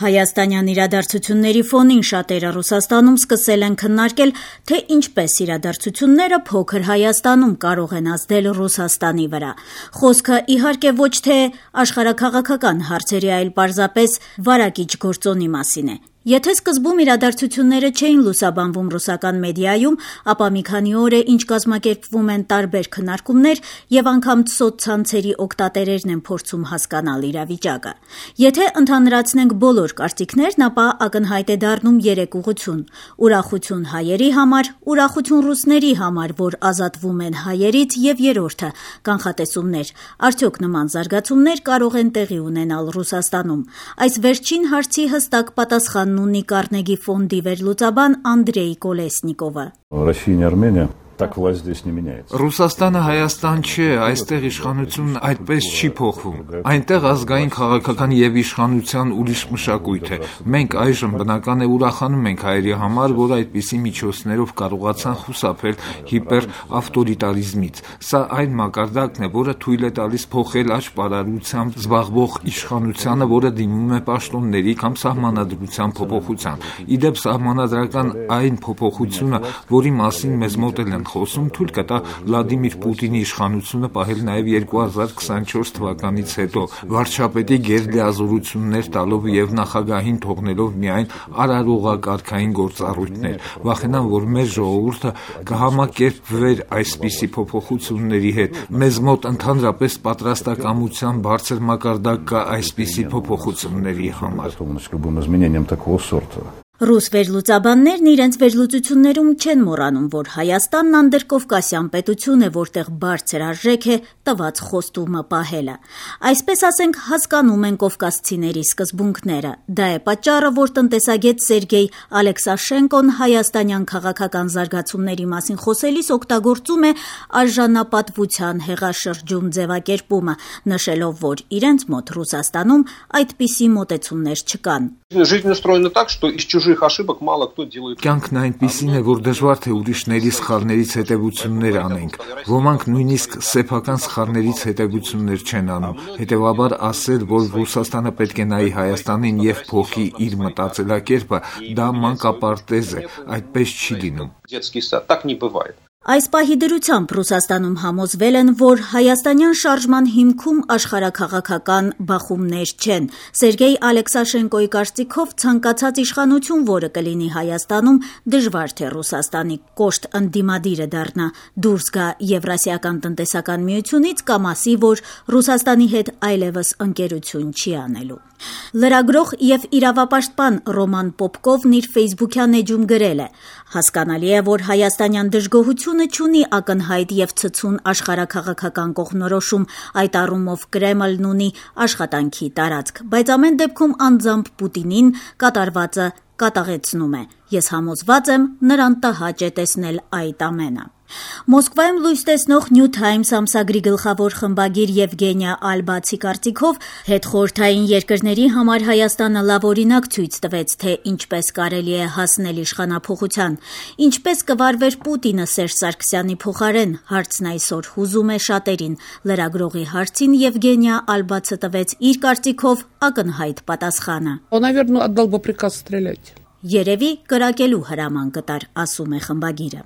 Հայաստանյան իրադարձությունների ֆոնին շատերը Ռուսաստանում սկսել են քննարկել, թե ինչպես իրադարձությունները փոքր Հայաստանում կարող են ազդել Ռուսաստանի վրա։ Խոսքը իհարկե ոչ թե աշխարհաքաղաքական հարցերի, այլ պարզապես վարակիչ գործոնի մասին է։ Եթե սկզբում իրադարձությունները չէին լուսաբանվում ռուսական մեդիայում, ապա մի քանի օր է ինչ կազմակերպվում են տարբեր քննարկումներ եւ անգամ սոցցանցերի օգտատերերն են փորձում հասկանալ իրավիճակը։ Եթե ընդհանրացնենք բոլոր կարծիքներն, ապա ակնհայտ է դառնում երեք ուղղություն՝ ուրախություն հայերի համար, ուրախություն ռուսների համար, որ ազատվում են հայերից, եւ երրորդը՝ կանխատեսումներ։ Արդյոք նման զարգացումներ կարող են տեղի ունենալ Ռուսաստանում։ Այս վերջին հարցի հստակ պատասխան ունի Կարնեգի ֆոնդի վերլուծաբան Անդրեյ Կոլեսնիկովը։ Ռուսաստանը Հայաստան չէ, այստեղ իշխանությունն այդպես չի փոխվում։ Այնտեղ ազգային քաղաքական եւ իշխանության ուրիշ մշակույթ է։ Մենք այժմ բնական է ուրախանում ենք հայերի համար, որ այդպիսի միջոցներով կարողացան խուսափել հիպերավտորիտարիզմից։ Սա այն մակարդակն է, որը թույլ է տալիս փոխել աճպարարությամբ զբաղվող իշխանությանը, որը դիմում է պաշտոնների կամ սահմանադրության փոփոխության։ Իդեպ սահմանադրական այն փոփոխությունը, որի մասին մեզ մոտել են խոսում, թույլ կտա Վլադիմիր Պուտինի իշխանությունը պահել նաև 2024 թվականից հետո, վարչապետի գերլիազորություններ տալով եւ նախագահին թողնելով միայն արարողակարգային գործառույթներ։ Վախենամ, որ մեր ժողովուրդը կհամակերպվեր այսպիսի փոփոխությունների հետ։ Մեզ մոտ ընդհանրապես պատրաստակամության բարձր մակարդակ կա այսպիսի փոփոխությունների համար։ Ռուս վերլուծաբաններն իրենց վերլուծություններում չեն մոռանում, որ Հայաստանն անդրկովկասյան պետություն է, որտեղ բարձր արժեք է տված խոստումը պահելը։ Այսպես ասենք, հասկանում են կովկասցիների սկզբունքները։ Դա է պատճառը, որ տնտեսագետ Սերգեյ Ալեքսաշենկոն հայաստանյան քաղաքական զարգացումների մասին խոսելիս օգտագործում է արժանապատվության հեղաշրջում ձևակերպումը, նշելով, որ իրենց մոտ Ռուսաստանում այդպիսի մոտեցումներ չկան։ Կյանքն այնպիսին է, որ դժվար թե ուրիշների սխալներից հետևություններ անենք։ Ոմանք նույնիսկ սեփական սխալներից հետևություններ չեն անում։ Հետևաբար ասել, որ Ռուսաստանը պետք է նայի Հայաստանին եւ փոխի իր մտածելակերպը, դա մանկապարտեզ է, այդպես չի լինում։ Այս պահի դրությամբ Ռուսաստանում համոզվել են, որ հայաստանյան շարժման հիմքում աշխարհաքաղաքական բախումներ չեն։ Սերգեյ Ալեքսաշենկոյի կարծիքով ցանկացած իշխանություն, որը կլինի Հայաստանում, դժվար թե Ռուսաստանի կոշտ ընդդիմադիրը դառնա, դուրս գա Եվրասիական տնտեսական միությունից կամ ասի, որ Ռուսաստանի հետ այլևս ընկերություն չի անելու։ Լրագրող եւ իրավապաշտպան Ռոման Պոպկովն իր ֆեյսբուքյան էջում գրել է. «Հասկանալի է, որ հայաստանյան դժգոհությունը չունի ակնհայտ եւ ցցուն աշխարհաքաղաքական կողմնորոշում, այդ առումով Կրեմլն ունի աշխատանքի տարածք, բայց ամեն դեպքում անձամբ Պուտինին կատարվածը կատաղեցնում է։ Ես համոզված եմ, նրան տհաճ է տեսնել այդ ամենը»։ Մոսկվայում լույս տեսնող New Times ամսագրի գլխավոր խմբագիր Եվգենիա Ալբացի կարծիքով հետխորհրդային երկրների համար Հայաստանը լավ օրինակ ցույց տվեց, թե ինչպես կարելի է հասնել իշխանափոխության։ Ինչպես կվարվեր Պուտինը Սերժ Սարգսյանի փոխարեն, հարցն այսօր հուզում է շատերին։ Լրագրողի հարցին Եվգենիա Ալբացը տվեց իր կարծիքով ակնհայտ պատասխանը։ Երևի կրակելու հրաման կտար, ասում է խմբագիրը։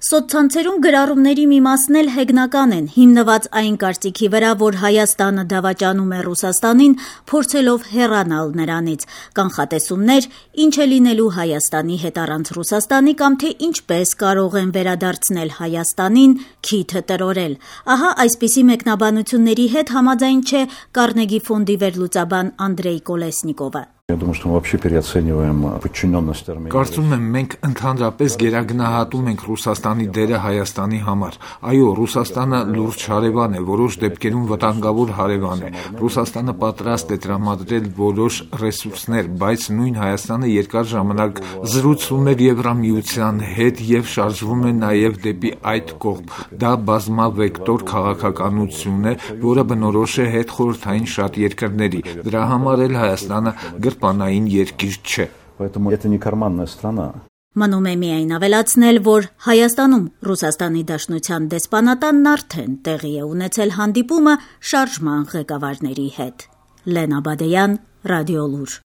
Սոցցանցերում գրառումների մի մասն էլ հեգնական են, հիմնված այն կարծիքի վրա, որ Հայաստանը դավաճանում է Ռուսաստանին, փորձելով հեռանալ նրանից։ Կանխատեսումներ, ինչ է լինելու Հայաստանի հետ առանց Ռուսաստանի կամ թե ինչպես կարող են վերադարձնել Հայաստանին, քիթը տրորել։ Ահա այսպիսի մեկնաբանությունների հետ համաձայն չէ Կարնեգի ֆոնդի վերլուծաբան Անդրեյ Կոլեսնիկովը։ Կարծում եմ, մենք ընդհանրապես գերագնահատում ենք Ռուսաստանի դերը Հայաստանի համար։ Այո, Ռուսաստանը լուրջ հարևան է, որոշ դեպքերում վտանգավոր հարևան է։ Ռուսաստանը պատրաստ է տրամադրել որոշ ռեսուրսներ, բայց նույն Հայաստանը երկար ժամանակ զրուցում էր Եվրամիության հետ եւ շարժվում է նաեւ դեպի այդ կողմ։ Դա բազմավեկտոր քաղաքականություն է, որը բնորոշ է հետխորհրդային շատ երկրների։ Դրա համար էլ Հայաստանը գրպանային երկիր չէ։ Մնում է միայն ավելացնել, որ Հայաստանում Ռուսաստանի Դաշնության դեսպանատանն արդեն տեղի է ունեցել հանդիպումը շարժման ղեկավարների հետ։ Լենա Բադեյան, Ռադիոլուր։